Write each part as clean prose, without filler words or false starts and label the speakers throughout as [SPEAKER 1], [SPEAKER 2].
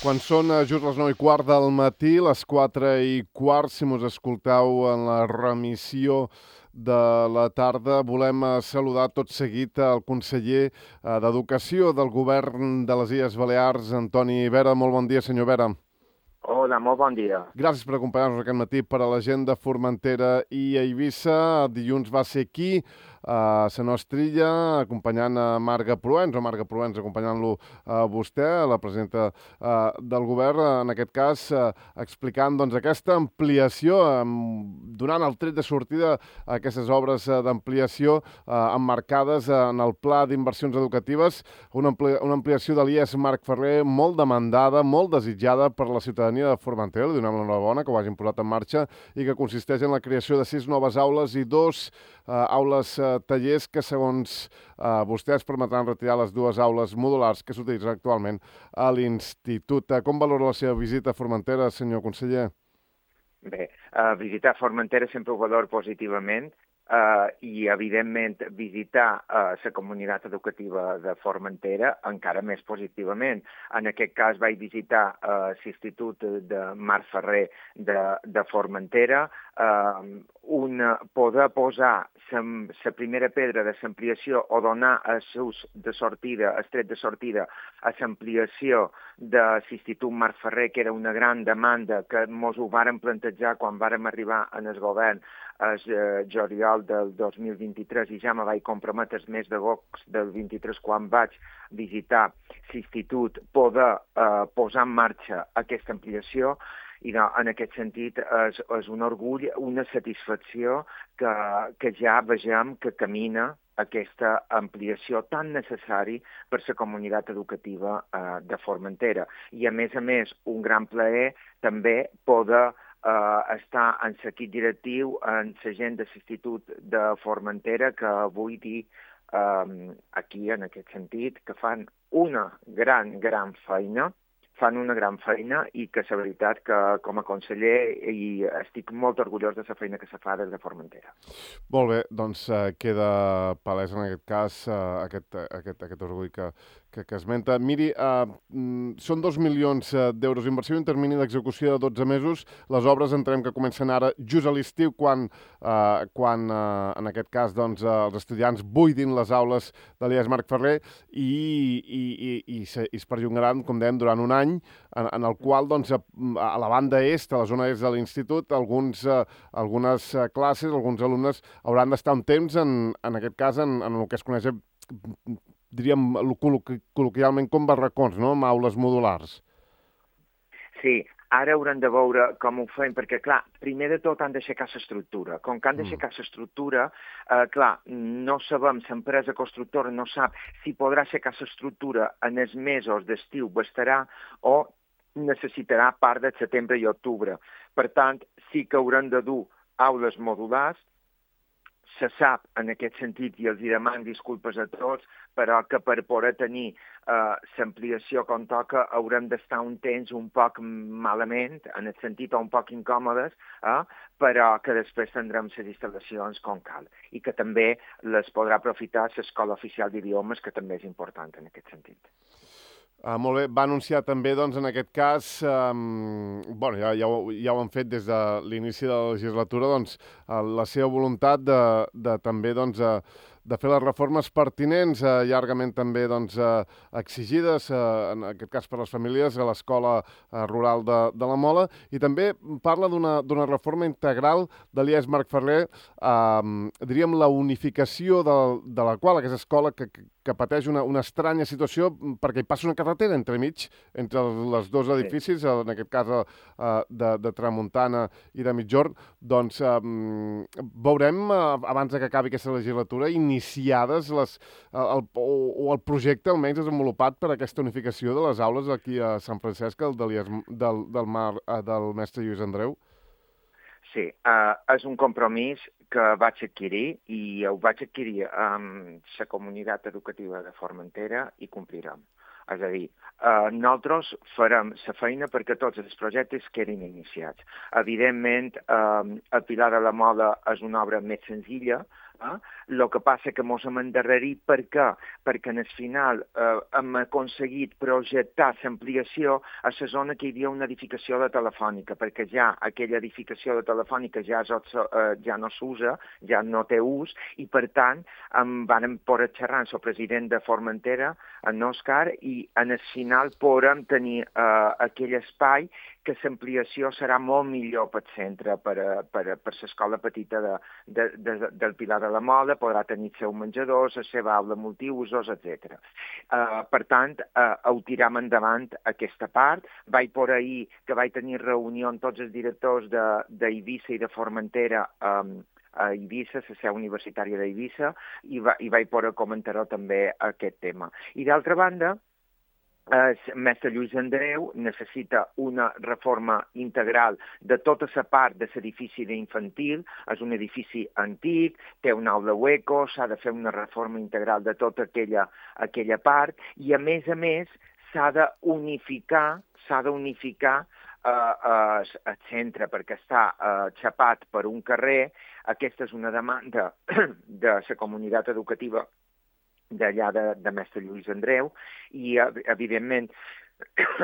[SPEAKER 1] Quan són just les 9:15 del matí, les 4:15, si mos escolteu en la remissió de la tarda, volem saludar tot seguit el conseller d'Educació del Govern de les Illes Balears, Antoni Vera. Molt bon dia, senyor Vera.
[SPEAKER 2] Hola, molt bon dia.
[SPEAKER 1] Gràcies per acompanyar-nos aquest matí per a la gent de Formentera i Eivissa. Dilluns va ser aquí, a la nostra illa, acompanyant a Marga Proens, o Marga Proens acompanyant-lo a vostè, la presidenta del govern, en aquest cas, explicant doncs, aquesta ampliació, donant el tret de sortida a aquestes obres d'ampliació emmarcades en el Pla d'Inversions Educatives, una ampliació de l'IES Marc Ferrer molt demandada, molt desitjada per la ciutadania de Formentera. Li donem l'enhorabona que ho hagin posat en marxa i que consisteix en la creació de 6 noves aules i 2 aules tallers que, segons vostès, permetran retirar les 2 aules modulars que s'utilitzen actualment a l'institut. Com valora la seva visita a Formentera, senyor conseller?
[SPEAKER 2] Bé, visitar Formentera sempre ho valoro positivament i, evidentment, visitar la comunitat educativa de Formentera encara més positivament. En aquest cas vaig visitar l'Institut de Marc Ferrer de Formentera, poder posar la primera pedra de l'ampliació o donar el tret de sortida a l'ampliació de l'Institut Marc Ferrer, que era una gran demanda que ens ho vàrem plantejar quan vàrem arribar en el govern el juliol del 2023 i ja me vaig comprometre el mes d'agost del 23 quan vaig visitar l'institut poder posar en marxa aquesta ampliació. I en aquest sentit és un orgull, una satisfacció que ja vegem que camina aquesta ampliació tan necessari per la comunitat educativa de Formentera. I, a més, un gran plaer també poder estar en l'equip directiu, en la gent de l'Institut de Formentera, que vull dir aquí, en aquest sentit, que fan una gran feina, i que la veritat que com a conseller estic molt orgullós de la feina que se fa des de Formentera.
[SPEAKER 1] Molt bé, doncs queda palès en aquest cas aquest orgull que esmenta. Miri, són 2 milions d'euros d'inversió i un termini d'execució de 12 mesos. Les obres entenem que comencen ara just a l'estiu, quan en aquest cas doncs, els estudiants buidin les aules de l'IES Marc Ferrer i es perllongaran, com dèiem, durant un any, en el qual doncs, a la banda est, a la zona est de l'institut, algunes classes, alguns alumnes hauran d'estar un temps, en aquest cas, en el que es coneix, diríem, col·loquialment com barracons, no?, amb aules modulars.
[SPEAKER 2] Sí, ara haurem de veure com ho fem, perquè, clar, primer de tot han d'aixecar l'estructura. Com que han d'aixecar l'estructura, clar, no sabem, l'empresa constructora no sap si podrà aixecar l'estructura en els mesos d'estiu, bastarà, o necessitarà part de setembre i octubre. Per tant, sí que haurem de dur aules modulars. Se sap en aquest sentit, i els demano disculpes a tots, però que per poder tenir l'ampliació com toca haurem d'estar un temps un poc malament, en el sentit un poc incòmodes, però que després tindrem les instal·lacions com cal i que també les podrà aprofitar l'Escola Oficial d'Idiomes, que també és important en aquest sentit.
[SPEAKER 1] Molt bé, va anunciar també, doncs, en aquest cas, ja ho han fet des de l'inici de la legislatura, doncs, la seva voluntat de també, doncs, de fer les reformes pertinents, llargament també doncs, exigides, en aquest cas per les famílies, a l'escola rural de la Mola, i també parla d'una reforma integral de l'IES Marc Ferrer, diríem la unificació de la qual aquesta escola que pateix una estranya situació perquè hi passa una carretera entremig, entre els dos edificis, en aquest cas de Tramuntana i de Migjorn. Doncs veurem, abans que acabi aquesta legislatura, iniciades el projecte almenys desenvolupat per aquesta unificació de les aules aquí a Sant Francesc, del mestre Lluís Andreu?
[SPEAKER 2] Sí, és un compromís que vaig adquirir i ho vaig adquirir amb la comunitat educativa de Formentera i complirem. És a dir, nosaltres farem la feina perquè tots els projectes quedin iniciats. Evidentment, el Pilar de la Mola és una obra més senzilla, el que passa que mos hem endarrerit. Per què? Perquè en el final hem aconseguit projectar l'ampliació a la zona que hi havia una edificació de Telefònica, perquè ja aquella edificació de Telefònica ja no s'usa, ja no té ús, i per tant vam poder xerrar amb el president de Formentera, en Òscar, i en el final podrem tenir aquell espai que l'ampliació serà molt millor pel centre, per l'escola petita del Pilar de la Mola, podrà tenir els seus menjadors, la seva aula multiusos, etc. Per tant, ho tiram endavant aquesta part. Vaig por ahir que vaig tenir reunió amb tots els directors d'Eivissa i de Formentera a Eivissa, la seu universitària d'Eivissa, i vaig poder comentar també aquest tema. I d'altra banda, el mestre Lluís Andreu necessita una reforma integral de tota la part de l'edifici d'infantil. És un edifici antic, té una aula hueco, s'ha de fer una reforma integral de tota aquella part, i a més s'ha d'unificar el centre, perquè està xapat per un carrer. Aquesta és una demanda de la comunitat educativa d'allà de mestre Lluís Andreu, i evidentment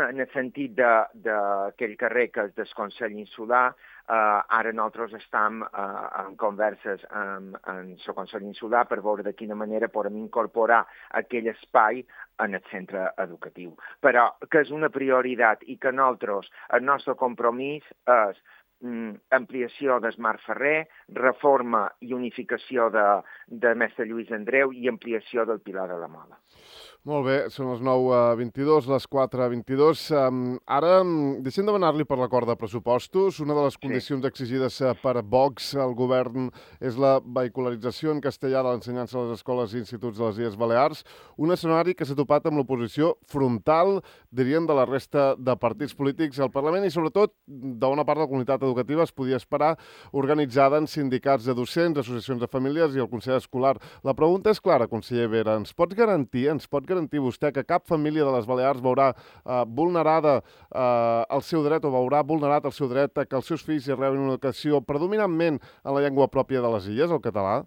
[SPEAKER 2] en el sentit d'aquell carrer que és del Consell Insular, ara nosaltres estem en converses amb el Consell Insular per veure de quina manera podem incorporar aquell espai en el centre educatiu. Però que és una prioritat i que nosaltres, el nostre compromís és ampliació de Smart Ferrer, reforma i unificació de mestre Lluís Andreu i ampliació del Pilar de la Mola.
[SPEAKER 1] Molt bé, són les 9:22, les 4:22. Ara deixem de demanar-li per l'acord de pressupostos. Una de les condicions exigides per Vox al govern és la vehicularització en castellà de l'ensenyança a les escoles i instituts de les Illes Balears, un escenari que s'ha topat amb l'oposició frontal, dirien, de la resta de partits polítics al Parlament i, sobretot, d'una part de la comunitat educativa es podia esperar, organitzada en sindicats de docents, associacions de famílies i el Consell Escolar. La pregunta és clara, conseller Vera. Ens pot garantir vostè que cap família de les Balears veurà vulnerada el seu dret o veurà vulnerat el seu dret a que els seus fills hi rebin una educació predominantment en la llengua pròpia de les illes, el català?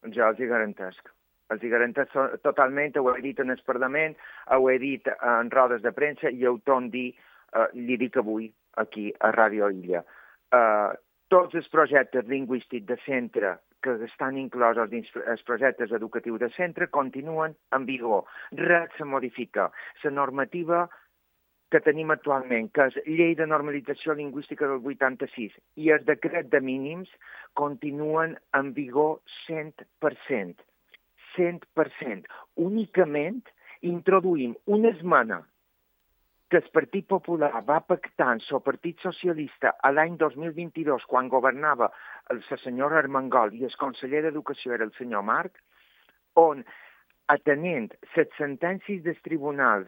[SPEAKER 2] Jo els hi garantesc. Els hi garantesc totalment, ho he dit en el Parlament, ho he dit en rodes de premsa i ho torno a dir, li dic avui aquí a Ràdio Illa. Tots els projectes lingüístics de centre que estan inclosos dins els projectes educatius de centre continuen en vigor. Res se modifica. La normativa que tenim actualment, que és Llei de Normalització Lingüística del 86 i el decret de mínims, continuen en vigor 100%. 100%. Únicament introduïm una esmena que el Partit Popular va pactar amb el Partit Socialista l'any 2022, quan governava la senyora Armengol i el conseller d'Educació era el senyor Marc, on, atenent les sentències del Tribunal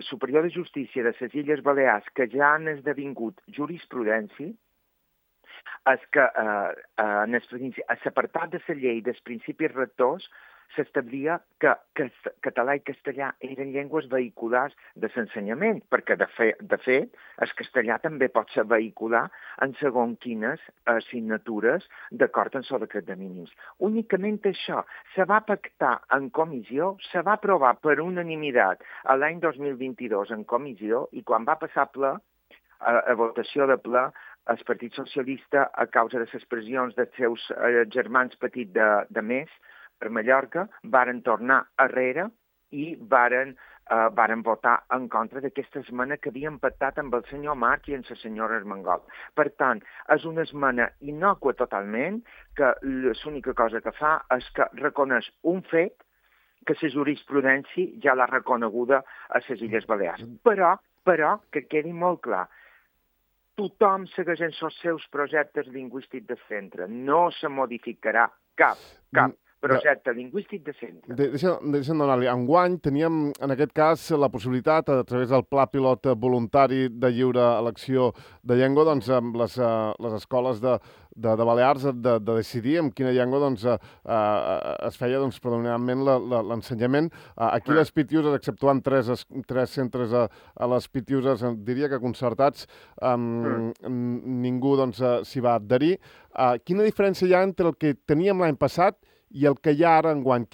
[SPEAKER 2] Superior de Justícia de les Illes Balears que ja han esdevingut jurisprudència, és que en l'apartat de la llei dels principis rectors s'establia que català i castellà eren llengües vehiculars de l'ensenyament, perquè, de fet, el castellà també pot ser vehicular en segons quines assignatures d'acord amb el decret de mínims. Únicament això se va pactar en comissió, se va aprovar per unanimitat l'any 2022 en comissió, i quan va passar a votació de ple, el Partit Socialista, a causa de les pressions dels seus germans petits de més, per Mallorca, varen tornar arrere i varen votar en contra d'aquesta esmena que havien pactat amb el senyor Marc i amb la senyora Armengol. Per tant, és una esmena innòcua totalment, que l'única cosa que fa és que reconeix un fet que la jurisprudència ja l'ha reconeguda a les Illes Balears. Però, que quedi molt clar, tothom segueix els seus projectes lingüístics de centre. No se modificarà cap projecte lingüístic de centre.
[SPEAKER 1] Deixa'm donar-li. Enguany teníem, en aquest cas, la possibilitat, a través del Pla Pilot voluntari de lliure elecció de llengua, doncs, amb les escoles de Balears, de decidir en quina llengua doncs, es feia doncs, predominantment l'ensenyament. Aquí les Pitiuses, exceptuant tres centres a les Pitiuses, diria que concertats, ningú doncs, s'hi va adherir. Quina diferència hi ha entre el que teníem l'any passat i el que hi ha ara enguany?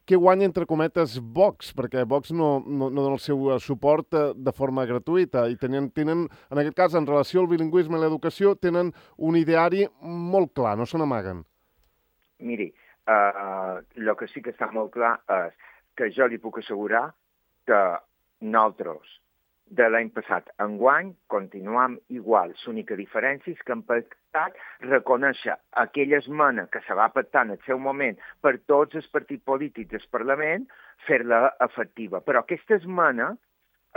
[SPEAKER 1] Què guanya, entre cometes, Vox? Perquè Vox no dona el seu suport de forma gratuïta i tenen, en aquest cas, en relació al bilingüisme i l'educació, tenen un ideari molt clar, no se n'amaguen.
[SPEAKER 2] Miri, el que sí que està molt clar és que jo li puc assegurar que nosaltres, de l'any passat enguany, continuam igual. L'única diferència és que hem pactat reconèixer aquella esmena que se va pactar en el seu moment per tots els partits polítics del Parlament, fer-la efectiva. Però aquesta esmena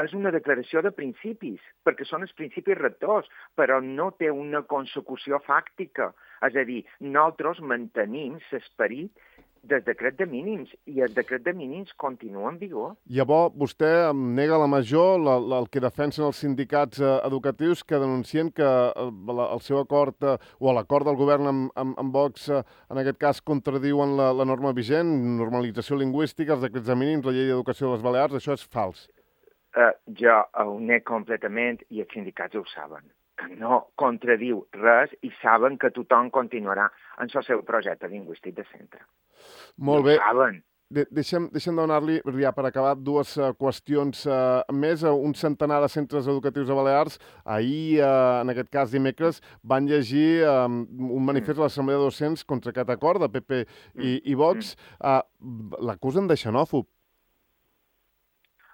[SPEAKER 2] és una declaració de principis, perquè són els principis rectors, però no té una consecució fàctica. És a dir, nosaltres mantenim l'esperit del decret de mínims, i el decret de mínims continua en vigor.
[SPEAKER 1] Llavors, vostè nega la major el que defensen els sindicats educatius que denuncien que el seu acord o l'acord del govern amb Vox, en aquest cas, contradiuen la norma vigent, normalització lingüística, els decrets de mínims, la llei d'educació de les Balears. Això és fals.
[SPEAKER 2] Jo ho nego completament i els sindicats ho saben, que no contradiu res i saben que tothom continuarà en el seu projecte lingüístic de centre.
[SPEAKER 1] Molt bé.
[SPEAKER 2] Ho saben.
[SPEAKER 1] Deixem donar-li, ja per acabar, dues qüestions més. Un centenar de centres educatius a Balears, ahir, en aquest cas dimecres, van llegir un manifest a l'Assemblea de Docents contra aquest acord de PP i Vox. L'acusen de xenòfob.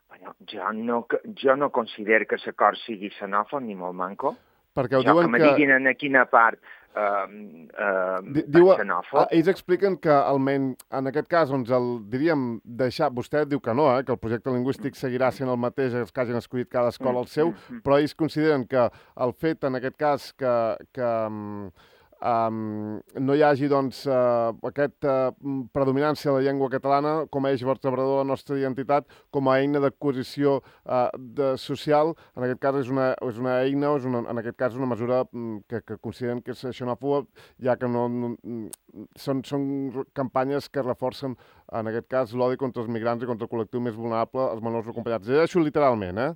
[SPEAKER 2] Bueno, jo no considero que l'acord sigui xenòfob ni molt manco.
[SPEAKER 1] Perquè ho diuen
[SPEAKER 2] que me diguin en quina part xenòfob.
[SPEAKER 1] Ells expliquen que almenys en aquest cas, doncs diríem deixar, vostè diu que no, que el projecte lingüístic seguirà sent el mateix que hagin escollit cada escola el seu, però ells consideren que el fet, en aquest cas, que no hi hagi doncs, aquesta predominància de la llengua catalana com a eix vertebrador de la nostra identitat, com a eina d'acquisició social, en aquest cas és una eina, en aquest cas una mesura que consideren que és xenòfoba, ja que són campanyes que reforcen, en aquest cas, l'odi contra els migrants i contra el col·lectiu més vulnerable, els menors no acompanyats. Això literalment,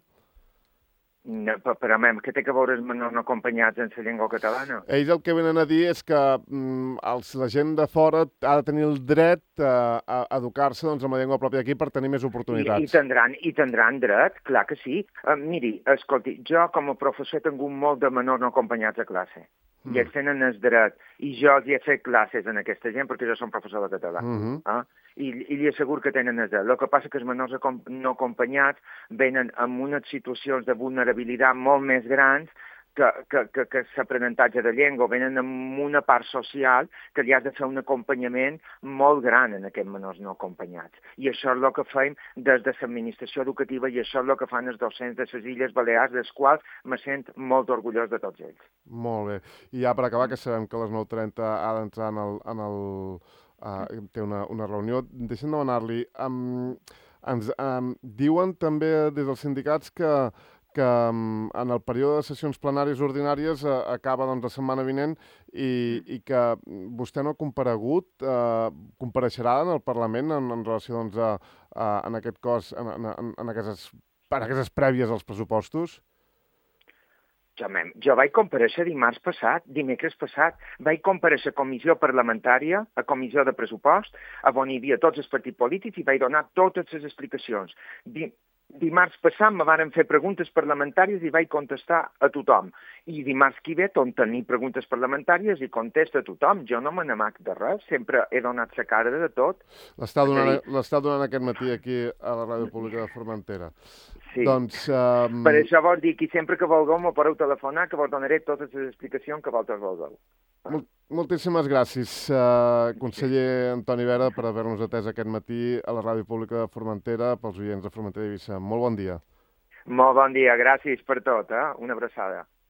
[SPEAKER 2] No, però, què té que veure els menors no acompanyats en la llengua catalana?
[SPEAKER 1] Ells el que venen a dir és que la gent de fora ha de tenir el dret a educar-se doncs, amb la llengua pròpia d'aquí per tenir més oportunitats.
[SPEAKER 2] I tindran dret, clar que sí. Miri, escolti, jo com a professor he tingut molt de menors no acompanyats a classe. I ells tenen el dret. I jo els he fet classes en aquesta gent perquè jo som professor de català. I li asseguro que tenen el dret. El que passa que els menors no acompanyats venen amb unes situacions de vulnerabilitat molt més grans que l'aprenentatge de llengua, venen amb una part social que li has de fer un acompanyament molt gran en aquests menors no acompanyats. I això és el que fem des de l'administració educativa i això és el que fan els docents de les Illes Balears, dels quals me sent molt orgullós de tots ells.
[SPEAKER 1] Molt bé. I ja per acabar, que sabem que a les 9:30 ha d'entrar té una reunió, deixem demanar-li, ens diuen també des dels sindicats que en el període de sessions plenàries ordinàries acaba doncs, la setmana vinent i que vostè no ha comparegut, compareixerà en el Parlament en relació doncs, en aquest cos, en aquestes prèvies als pressupostos?
[SPEAKER 2] Jo vaig comparèixer dimecres passat. Vaig comparèixer a comissió parlamentària, a comissió de pressupost, on hi havia tots els partits polítics i vaig donar totes les explicacions. Dimarts passat me varen fer preguntes parlamentàries i vaig contestar a tothom. I dimarts que ve torno a tenir preguntes parlamentàries i contesto a tothom. Jo no me n'amac de res, sempre he donat la cara de tot.
[SPEAKER 1] L'està donant aquest matí aquí a la Ràdio Pública de Formentera.
[SPEAKER 2] Sí.
[SPEAKER 1] Doncs,
[SPEAKER 2] per això vol dir que sempre que vulgueu me podeu telefonar, que vos donaré totes les explicacions que vosaltres vulgueu.
[SPEAKER 1] Moltíssimes gràcies, conseller Antoni Vera, per haver-nos atès aquest matí a la Ràdio Pública de Formentera, pels oients de Formentera i Eivissa. Molt bon dia.
[SPEAKER 2] Molt bon dia, gràcies per tot, una abraçada.